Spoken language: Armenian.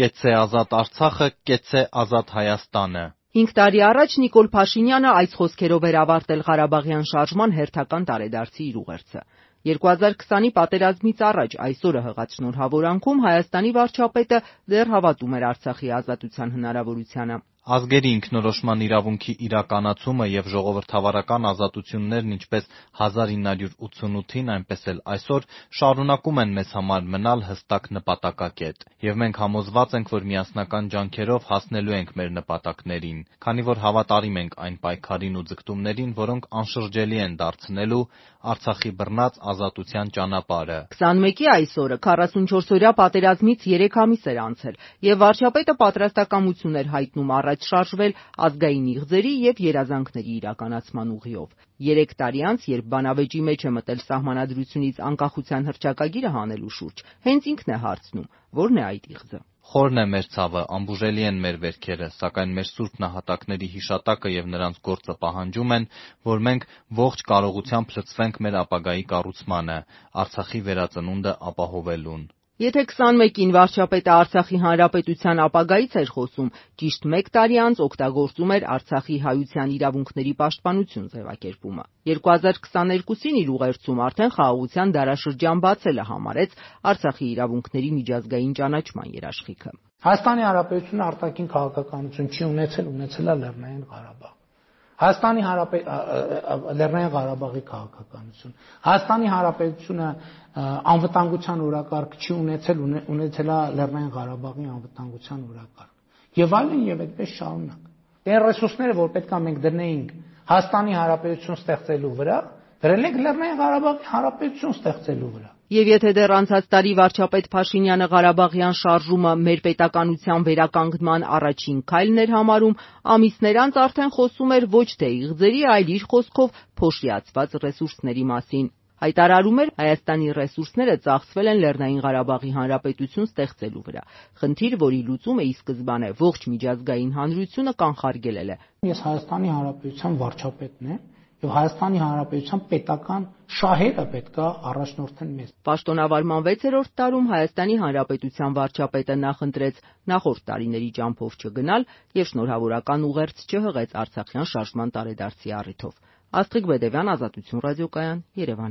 կեցցե ազատ Արցախը, կեցցե ազատ Հայաստանը։ 5 տարի առաջ Նիկոլ Փաշինյանը այս խոսքերով էր ավարտել Ղարաբաղյան շարժման հերթական տարեդարձի իր ուղերձը։ 2020-ի պատերազմից առաջ այս օրը հղած շնորհավորանքում Հայաստանի վարչապետը դեռ հավատում էր Արցախի ազատության հնարավորությանը։ Ազգերի ինքնորոշման իրավունքի իրականացումը և ժողովրդավարական ազատություններն ինչպես 1988-ին, այնպես էլ այսօր շարունակում են մեզ համար մնալ հստակ նպատակակետ, և մենք համոզված ենք, որ միասնական ջանքերով հասնելու ենք մեր նպատակներին, քանի որ հավատարիմ ենք այն պայքարին ու ձգտումներին, որոնք անշրջելի են դարձնելու Արցախի բռնած ազատության ճանապարհը։ 21-ի այս օրը 44-օրյա պատերազմից 3 ամիս էր անցել, և վարչապետը պատրաստակամություն էր հայտնում առաջ շարժվել ազգային իղձերի և երազանքների իրականացման ուղիով։ 3 տարի անց, երբ բանավեճի մեջ է մտել Սահմանադրությունից անկախության հռչակագիրը հանելու շուրջ, հենց ինքն է հարցնում՝ ո՞րն է այդ իղձը։ Խորն է մեր ցավը, անբուժելի են մեր վերքերը, սակայն մեր սուրբ նահատակների հիշատակը և նրանց գործը պահանջում են, որ մենք ողջ կարողությամբ լծվենք մեր ապագայի կառուցմանը, Արցախի վերածնունդը ապահովելուն։ Եթե 21-ին վարչապետը Արցախի հանրապետության ապագայից էր խոսում, ճիշտ 1 տարի անց օգտագործում էր Արցախի հայության իրավունքների պաշտպանություն ձևակերպումը։ 2022-ին իր ուղերձում արդեն խաղաղության դարաշրջան բացելը համարեց Արցախի իրավունքների միջազգային ճանաչման երաշխիքը։ Հայաստանի Հանրապետությունը արտաքին քաղաքականություն չի ունեցել է Լեռնային Ղարաբաղ։ Լեռնային Ղարաբաղի քաղաքականություն։ Հայաստանի Հանրապետությունը անվտանգության օրակարգ չի ունեցել է Լեռնային Ղարաբաղի անվտանգության օրակարգ։ Եվ այլն եւ այդպես շարունակ։ Այն ռեսուրսները, որ պետք է մենք դնեինք Հայաստանի Հանրապետություն ստեղծելու վրա, դրել ենք Լեռնային Ղարաբաղի Հանրապետություն ստեղծելու վրա։ Եվ եթե դեռ անցած տարի վարչապետ Փաշինյանը Ղարաբաղյան շարժումը մեր պետականության վերականգնման առաջին քայլն էր համարում, ամիսներ անց արդեն խոսում էր ոչ թե իղձերի, այլ իր խոսքով փոշիացված ռեսուրսների մասին։ Հայտարարում էր Հայաստանի ռեսուրսները ծախսվել են Լեռնային Ղարաբաղի Հանրապետություն ստեղծելու վրա։ Խնդիր, որի լուծումը ի սկզբանե ողջ միջազգային հանրությունը կանխարգելել է։ Ես Հայաստանի Հանրապետության վարչապետն եմ, եւ Հայաստանի Հանրապետության պետական շահերը պետք է առաջնորդեն մեզ։ Պաշտոնավարման 6-րդ տարում Հայաստանի Հանրապետության վարչապետը նախընտրեց նախորդ տարիների ճամփով չգնալ եւ շնորհավորական ուղերձ չհղեց Արցախյան շարժման տարեդարձի առիթով։ Աստղիկ Բեդևյան, Ազատություն ռադիոկայան, Երևան։